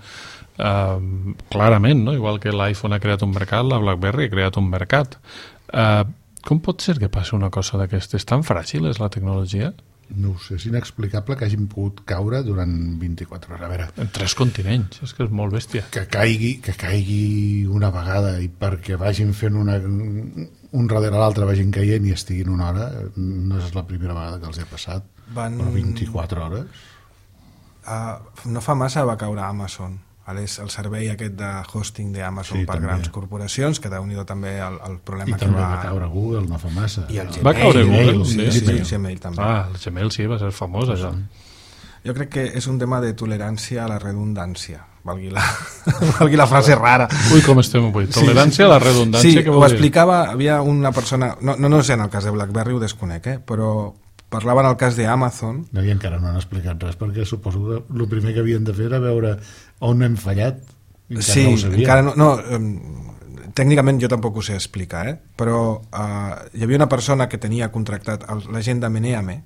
clarament, no? Igual que l'iPhone ha creat un mercat, la BlackBerry ha creat un mercat. Com pot ser que passi una cosa d'aquestes? Tan fràgil és la tecnologia? No ho sé, és inexplicable que hagin pogut caure durant 24 hores. A veure, En 3 continents, és que és molt bèstia. que caigui una vegada i perquè vagin fent un darrere l'altre vagin caient i estiguin una hora, no és la primera vegada que els ha passat. Però 24 hores? No fa massa va caure Amazon, el servei aquest de hosting d'Amazon per també. grans corporacions, que déu-n'hi-do també el problema I que també va caure Google, no fa massa. I el Gmail. Va caure Google, sí, sí. el Gmail també. El Gmail sí, va ser famós, això. Jo crec que és un tema de tolerància a la redundància, valgui la frase rara. Ui, com estem avui. Tolerància a la redundància, Sí, què ho vol dir? explicava, havia una persona, no sé en el cas de BlackBerry, ho desconec, però parlava en el cas d'Amazon. No, i encara no han explicat res, perquè suposo que el primer que havien de fer era veure on hem fallat. Encara Sí, no ho sabia. encara no, tècnicament jo tampoc ho sé explicar, però hi havia una persona que tenia contractat la gent de Meneame,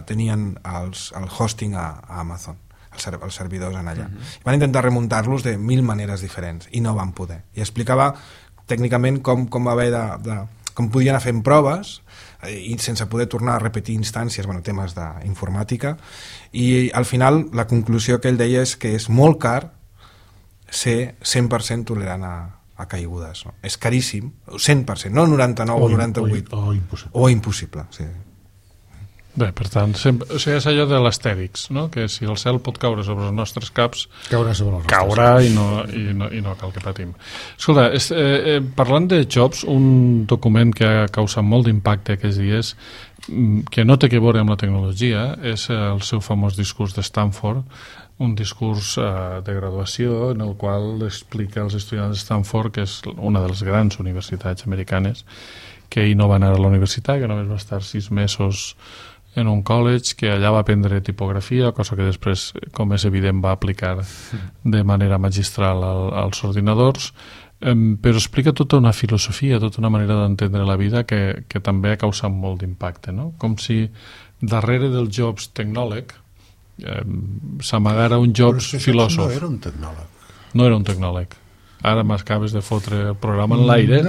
tenien el hosting a Amazon, els servidors en allà. Van intentar remuntar-los de 1000 maneres diferents i no van poder. I explicava tècnicament com va haver com podien anar fent proves i sense poder tornar a repetir instàncies, temes d'informàtica, i al final la conclusió que ell deia és que és molt car ser 100% tolerant a caigudes. No? És caríssim, 100%, no 99 o 98. O impossible. O impossible, sí. Bé, per tant, sempre, o sigui, és allò de l'astèrix, no? Que si el cel pot caure sobre els nostres caps, Caurà sobre els caurà i no cal que patim. Escolta, parlant de Jobs, un document que ha causat molt d'impacte aquests dies, que no té que veure amb la tecnologia, és el seu famós discurs de Stanford, un discurs de graduació en el qual explica als estudiants de Stanford, que és una de les grans universitats americanes, que ell no va anar a la universitat, que només va estar 6 mesos en un college, que allà va aprendre tipografia, cosa que després, com és evident, va aplicar de manera magistral als ordinadors, però explica tota una filosofia, tota una manera d'entendre la vida que també ha causat molt d'impacte, no? Com si darrere del Jobs tecnòleg s'amagara un Jobs filòsof. No era un tecnòleg. No era un tecnòleg. Ara m'acabes de fotre el programa en l'aire.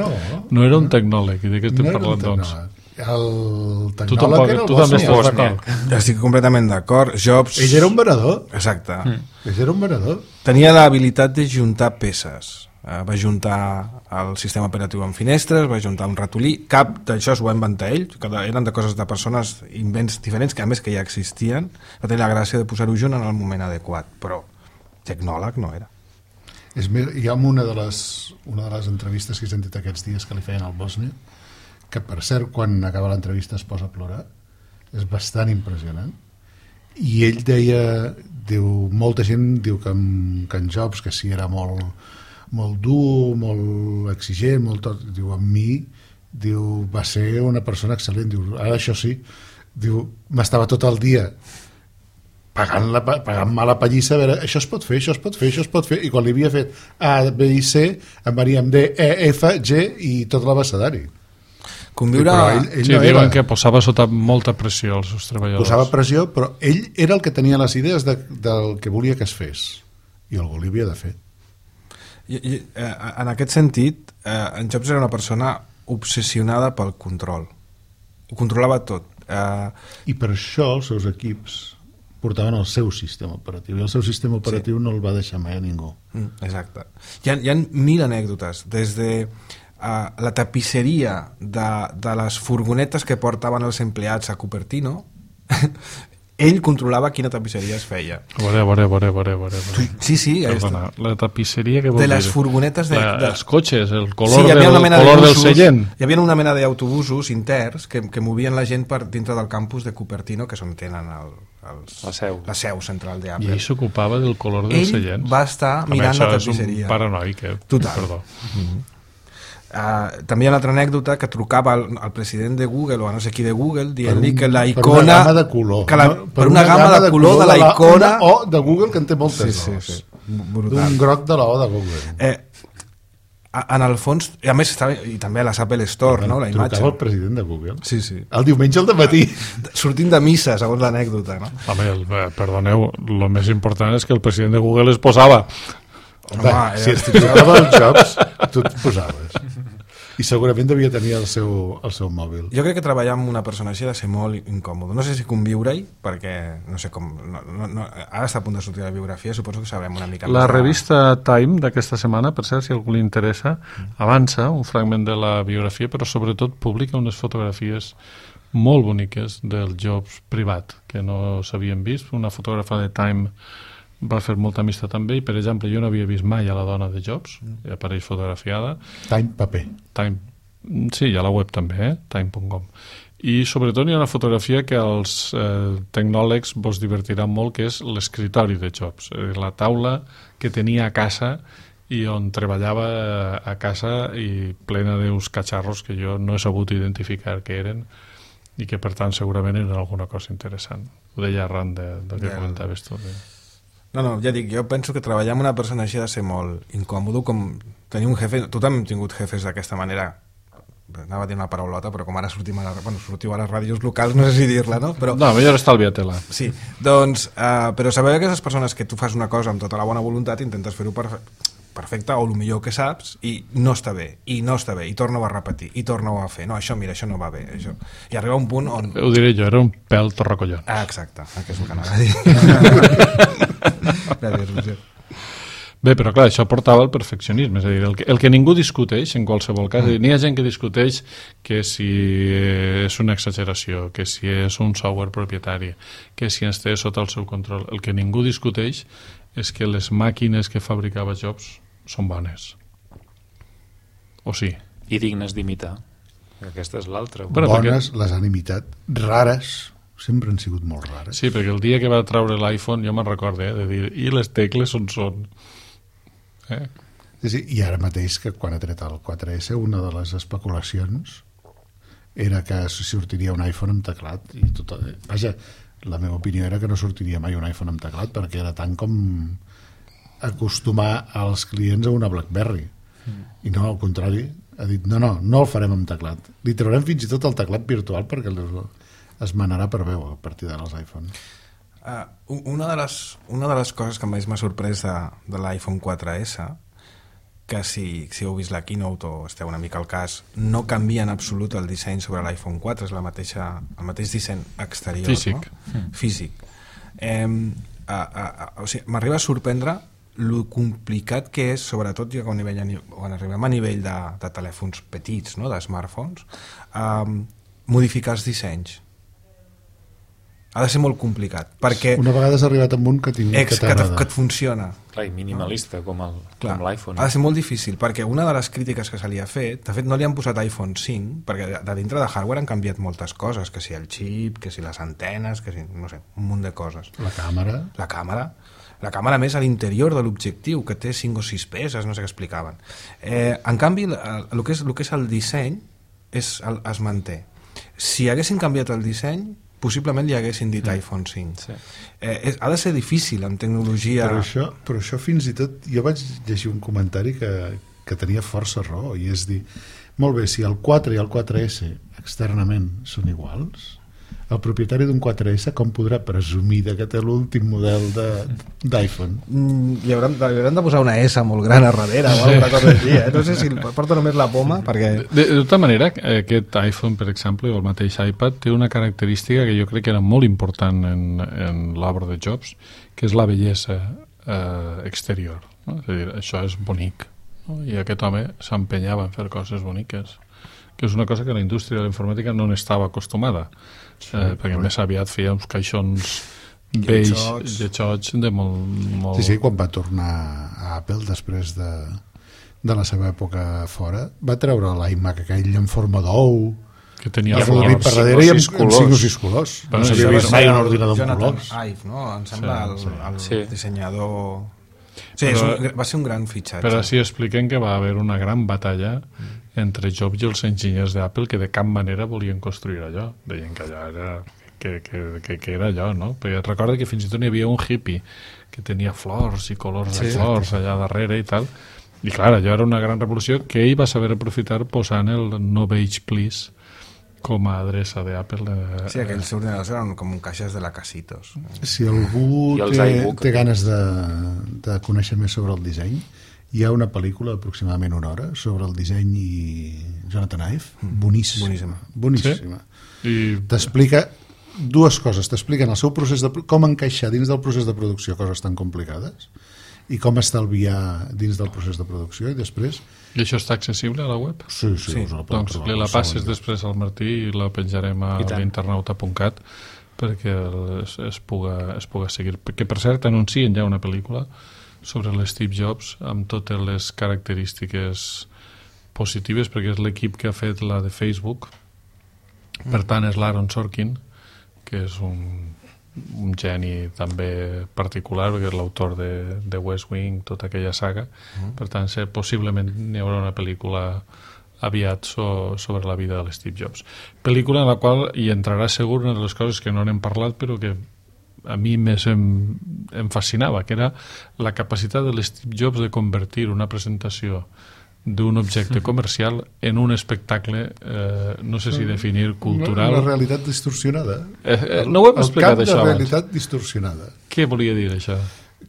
No era un tecnòleg. I de què estem parlant, doncs? El tecnòleg era el tu també estàs Wozniak. d'acord. Estic completament d'acord. Jobs... Ell era un venedor. Exacte. Ell era un venedor. Tenia l'habilitat de juntar peces. Va juntar el sistema operatiu en finestres, va juntar un ratolí. Cap d'això s'ho va inventar ell, eren de coses de persones, invents diferents, que a més que ja existien. Va tenir la gràcia de posar-ho junt en el moment adequat, però tecnòleg no era. Hi ha una de les entrevistes que he sentit aquests dies que li feien al Wozniak, que per cert quan acaba l'entrevista es posa a plorar, és bastant impressionant, i ell molta gent diu que en Jobs, que sí era molt dur, molt exigent, molt tot, diu, amb mi va ser una persona excel·lent, diu, ara això sí, diu, m'estava tot el dia pagant-me la pallissa, a veure, això es pot fer, això es pot fer, això es pot fer, i quan li havia fet A, B i C, em veníem D, E, F, G i tot l'abecedari. Conviure... Sí, diuen que posava sota molta pressió els seus treballadors. Posava pressió, però ell era el que tenia les idees del que volia que es fés, i algú li havia de fer. En aquest sentit, en Jobs era una persona obsessionada pel control. Ho controlava tot. I per això els seus equips portaven el seu sistema operatiu, i el seu sistema operatiu no el va deixar mai a ningú. Exacte. Hi ha 1000 anècdotes, des de la tapisseria de les furgonetes que portaven els empleats a Cupertino. Ell controlava quina tapisseria es feia. A veure. Sí. Perdona, la tapisseria que vol dir? De les dir? furgonetes els cotxes, el color, sí, del seient. Hi havia una mena d'autobusos interns que movien la gent per dintre del campus de Cupertino, que és on tenen la seu central d'Apple. I ell s'ocupava del color dels seients. Ell va estar mirant la tapisseria. És un paranoic, Total. Perdó. També hi ha una altra anècdota que trucava al president de Google o a no sé qui de Google dient-li que la icona... Per una gamma de color. Per una gamma de color de la icona... O de Google, que en té moltes O's. D'un groc de la O de Google. En el fons, i a més i també a la Apple Store, no, la imatge. Trucava el president de Google. Sí. El diumenge al dematí. Sortint de missa, segons l'anècdota, no? Home, perdoneu, el més important és que el president de Google es posava. Home, si es trucava els Jobs, tu et posaves. I segurament devia tenir el seu mòbil. Jo crec que treballar amb una persona així ha de ser molt incòmode. No sé si conviure-hi, perquè no sé com... ara està a punt de sortir la biografia, suposo que sabrem una mica més. La revista Time d'aquesta setmana, per cert, si a algú li interessa, avança un fragment de la biografia, però sobretot publica unes fotografies molt boniques del Jobs privat, que no s'havien vist. Una fotògrafa de Time va fer molta amistat amb ell. Per exemple, jo no havia vist mai a la dona de Jobs, i apareix fotografiada. Time paper. Sí, a la web també, time.com. I sobretot hi ha una fotografia que als tecnòlegs vos divertirà molt, que és l'escritori de Jobs, la taula que tenia a casa i on treballava a casa, i plena d'uns catxarros que jo no he sabut identificar què eren, i que per tant segurament eren alguna cosa interessant. Ho deia arran del que comentaves tu. No, ja dic, jo penso que treballar amb una persona així ha de ser molt incòmode, com tenir un jefe. Tu també hem tingut jefes d'aquesta manera, anava a dir una paraulota, però com ara sortiu a les ràdios locals, no sé si dir-la, no? Però, no, millor estalvia-te-la. Sí, doncs, però sabeu que aquestes persones que tu fas una cosa amb tota la bona voluntat, intentes fer-ho perfecte o el millor que saps, i no està bé, i torna-ho a repetir, i torna-ho a fer. No, això no va bé. Això. I arriba un punt on... Ho diré jo, era un pèl torracollons. Exacte, que és el que anava a dir. Gràcies, Roger. Bé, però clar, això portava al perfeccionisme, és a dir, el que ningú discuteix en qualsevol cas, n'hi ha gent que discuteix que si és una exageració, que si és un software propietari, que si ens té sota el seu control. El que ningú discuteix és que les màquines que fabricava Jobs són bones. O sí? I dignes d'imitar. Aquesta és l'altra. Bones, les han imitat, rares, sempre han sigut molt rares. Sí, perquè el dia que va treure l'iPhone jo me'n recordo, de dir, i les tecles on són? Sí, i ara mateix, que quan ha tret el 4S, una de les especulacions era que sortiria un iPhone amb teclat. I vaja, la meva opinió era que no sortiria mai un iPhone amb teclat, perquè era tant com acostumar els clients a una BlackBerry. I no, al contrari, ha dit, no el farem amb teclat. Li traurem fins i tot el teclat virtual perquè es manarà per veu a partir de les iPhone. Una de les coses que més m'ha sorprès de l'iPhone 4S, que si heu vist la keynote o esteu una mica al cas, no canvia en absolut el disseny sobre l'iPhone 4, és el mateix disseny exterior. Físic. No? Físic. O sigui, m'arriba a sorprendre lo complicat que és, sobretot quan arribem a nivell de telèfons petits, no? De smartphones, modificar els dissenys. Ha de ser molt complicat, perquè... Una vegada has arribat amb un que t'agrada. Que et funciona. Clar, i minimalista, com l'iPhone. Ha de ser molt difícil, perquè una de les crítiques que se li ha fet, de fet no li han posat iPhone 5, perquè de dintre de hardware han canviat moltes coses, que si el xip, que si les antenes, que si, no sé, un munt de coses. La càmera. La càmera més a l'interior de l'objectiu, que té 5 o 6 peces, no sé què explicaven. En canvi, el que és el disseny es manté. Si haguessin canviat el disseny, possiblement li haguessin dit iPhone 5. Sí. Ha de ser difícil amb tecnologia... Però això fins i tot... Jo vaig llegir un comentari que tenia força raó, i és dir, molt bé, si el 4 i el 4S externament són iguals, el propietari d'un 4S com podrà presumir que té l'últim model d'iPhone? Li hauran de posar una S molt gran a darrere o alguna cosa així, no sé si porta només la poma perquè... De tota manera, aquest iPhone, per exemple, o el mateix iPad, té una característica que jo crec que era molt important en l'obra de Jobs, que és la bellesa exterior, no? És a dir, això és bonic, no? I aquest home s'empenyava en fer coses boniques, que és una cosa que la indústria de la informàtica no n'estava acostumada, perquè més aviat feia uns caixons beige, lletjots de molt... Sí, quan va tornar a Apple després de la seva època fora, va treure l'iMac aquell en forma d'ou, que tenia flors per darrere i amb 5 o 6 colors. No s'havia vist mai un ordinador amb colors. Jonathan Ive, no? Em sembla el dissenyador... Sí, va ser un gran fitxatge. Però sí expliquen que va haver una gran batalla entre Jobs i els enginyers d'Apple que de cap manera volien construir allò. Deien que allò era... que era allò, no? Perquè recorda que fins i tot hi havia un hippie que tenia flors i colors de flors allà darrere i tal. I clar, allò era una gran revolució que ell va saber aprofitar posant el No Beige Please com a adreça d'Apple. Sí, aquells ordinadors eren com caixes de la Casitos. Si algú té ganes de conèixer més sobre el disseny, hi ha una pel·lícula d'aproximadament 1 hora sobre el disseny i Jonathan Ive, boníssima. I t'explica dues coses, t'expliquen el seu procés com encaixar dins del procés de producció coses tan complicades i com estalviar dins del procés de producció, i després... I això està accessible a la web? Sí. Doncs la passes després al Martí i la penjarem a l'internauta.cat perquè es puga seguir. Que, per cert, anuncien ja una pel·lícula sobre l'Steve Jobs amb totes les característiques positives, perquè és l'equip que ha fet la de Facebook. Per tant, és l'Aaron Sorkin, que és un geni també particular, perquè és l'autor de West Wing, tota aquella saga. Per tant, possiblement n'hi haurà una pel·lícula aviat sobre la vida de l'Steve Jobs. Pel·lícula en la qual hi entrarà segur una de les coses que no n'hem parlat, però que a mi més em fascinava, que era la capacitat de l'Steve Jobs de convertir una presentació d'un objecte comercial en un espectacle, no sé si definir cultural... Una realitat distorsionada. No ho hem explicat, això, abans. El camp de realitat distorsionada. Què volia dir, això?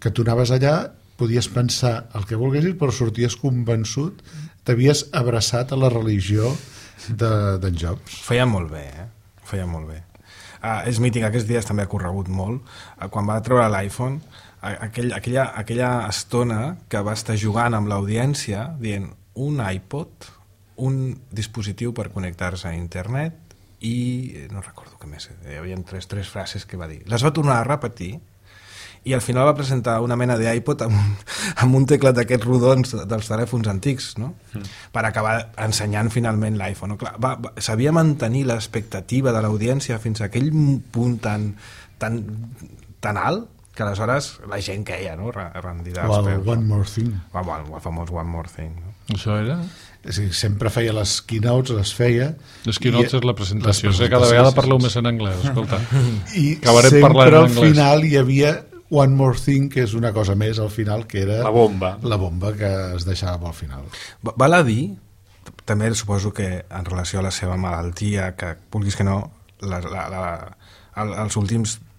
Que tu anaves allà, podies pensar el que volguessis, però sorties convençut, t'havies abraçat a la religió d'en Jobs. Feia molt bé, Feia molt bé. És mític, aquests dies també ha corregut molt. Quan va treure l'iPhone, aquella estona que va estar jugant amb l'audiència, dient un iPod, un dispositiu per connectar-se a internet i no recordo què més, hi havia tres frases que va dir. Les va tornar a repetir i al final va presentar una mena d'iPod amb un teclat d'aquests rodons dels telèfons antics, no? Per acabar ensenyant finalment l'iPhone. Sabia mantenir l'expectativa de l'audiència fins a aquell punt tan alt que aleshores la gent queia, no? Rendida als peus. One More Thing. El famós One More Thing. No? Això era? Sí, sempre feia les keynotes, les feia... Les keynotes és la presentació. Cada vegada parleu més en anglès, escolta. I sempre al final hi havia One More Thing, que és una cosa més al final, que era... La bomba. La bomba que es deixava al final. Val a dir, també suposo que en relació a la seva malaltia, que vulguis que no, els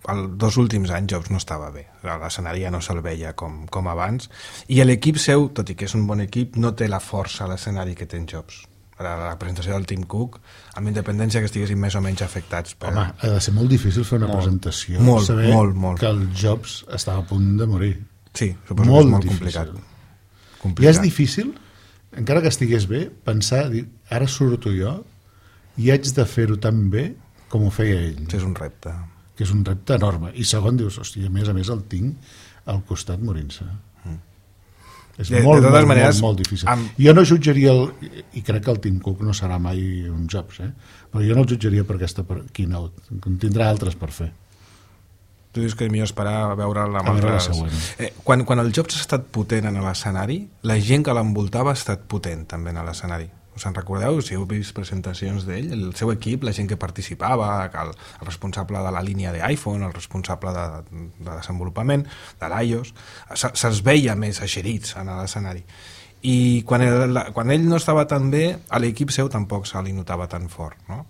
2 últims anys Jobs no estava bé, l'escenari ja no se'l veia com abans, i l'equip seu, tot i que és un bon equip, no té la força a l'escenari que té en Jobs. La presentació del Tim Cook, amb independència que estiguessin més o menys afectats. Home, ha de ser molt difícil fer una presentació, saber que el Jobs estava a punt de morir. Sí, suposo que és molt complicat. I és difícil, encara que estigués bé, pensar, dir, ara surto jo i haig de fer-ho tan bé com ho feia ell. És un repte. Que és un repte enorme. I segon, dius, hòstia, a més el tinc al costat morint-se. És molt difícil. Jo no jutjaria, i crec que el Tim Cook no serà mai un Jobs, però jo no el jutjaria per aquesta keynote. En tindrà altres per fer. Tu dius que millor esperar a veure'l amb la següent. Quan el Jobs ha estat potent en l'escenari, la gent que l'envoltava ha estat potent també en l'escenari. Us en recordeu? Si heu vist presentacions d'ell, el seu equip, la gent que participava, el responsable de la línia d'iPhone, el responsable de desenvolupament, de l'iOS, se'ls veia més eixerits en l'escenari. i quan ell no estava tan bé, a l'equip seu tampoc se li notava tan fort, no?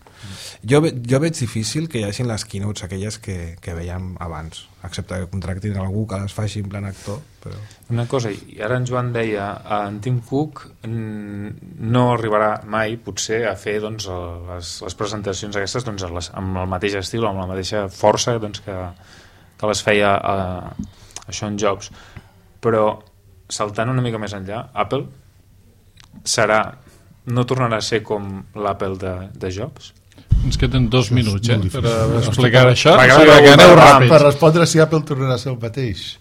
Jo veig difícil que hi hagin les keynotes aquelles que veiem abans, excepte que contractin algú que les faci en plan actor, però... Una cosa, i ara en Joan deia, en Tim Cook no arribarà mai, potser, a fer doncs, les presentacions aquestes doncs, amb el mateix estil, amb la mateixa força doncs, que les feia Sean Jobs, però saltant una mica més enllà, Apple no tornarà a ser com l'Apple de Jobs? Ens queden 2 minuts per explicar això. Per respondre si Apple tornarà a ser el mateix.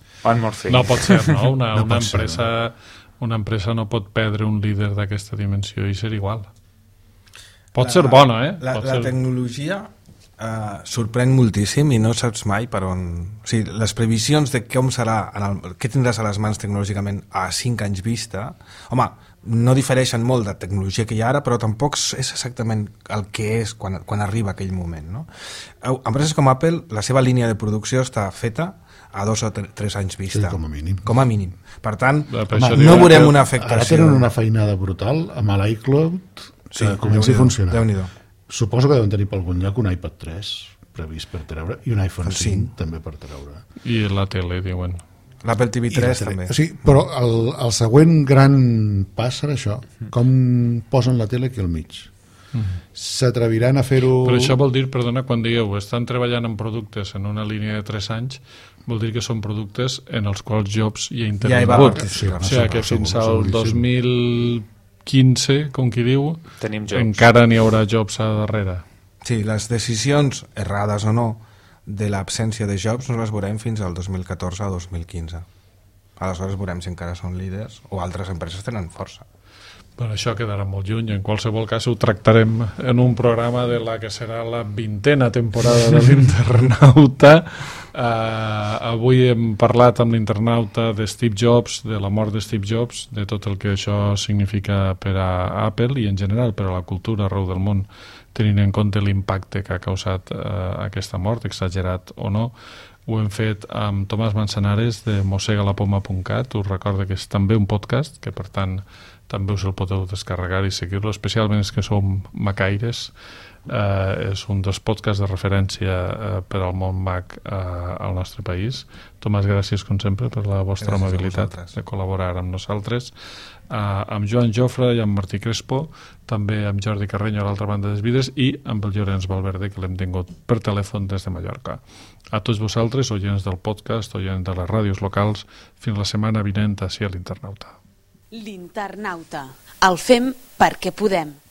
No pot ser, no? Una empresa no pot perdre un líder d'aquesta dimensió i ser igual. Pot ser bona, La tecnologia sorprèn moltíssim i no saps mai per on... O sigui, les previsions de com serà, què tindràs a les mans tecnològicament a 5 anys vista, home, no difereixen molt de tecnologia que hi ha ara, però tampoc és exactament el que és quan arriba aquell moment, no? Empreses com Apple, la seva línia de producció està feta a 2 o 3 anys vista. Sí, com a mínim. Com a mínim. Per tant, no veurem una afectació. Ara tenen una feinada brutal amb l'iCloud que comença a funcionar. Déu-n'hi-do. Suposo que deuen tenir per algun lloc un iPad 3 previst per treure i un iPhone 5 també per treure. I la tele, diuen. L'Apple TV 3 també. Sí, però el següent gran pas serà això. Com posen la tele aquí al mig. S'atreviran a fer-ho... Però això vol dir, perdona, quan dieu estan treballant en productes en una línia de 3 anys, vol dir que són productes en els quals Jobs hi ha intervingut. O sigui que fins al 2015, com qui diu, encara n'hi haurà Jobs a darrere. Sí, les decisions, errades o no, de l'absència de Jobs no les veurem fins al 2014 o 2015. Aleshores veurem si encara són líders o altres empreses tenen força. Però això quedarà molt lluny. En qualsevol cas ho tractarem en un programa de la que serà la 20ª temporada de l'Internauta. Avui hem parlat amb l'internauta de Steve Jobs, de la mort de Steve Jobs, de tot el que això significa per a Apple i en general per a la cultura arreu del món, tenint en compte l'impacte que ha causat aquesta mort, exagerat o no. Ho hem fet amb Tomàs Manzanares de mosegalapoma.cat. Us recordo que és també un podcast, que per tant també us el podeu descarregar i seguir-lo, especialment els que som macaires. És un dels podcasts de referència per al món Mac al nostre país. Tomàs, gràcies com sempre per la vostra amabilitat de col·laborar amb nosaltres. Amb Joan Jofre i amb Martí Crespo, també amb Jordi Carreño a l'altra banda dels vidres i amb el Llorenç Valverde, que l'hem tingut per telèfon des de Mallorca. A tots vosaltres, oients del podcast, oients de les ràdios locals, fins la setmana vinent ací a l'Internauta. L'Internauta. El fem perquè podem.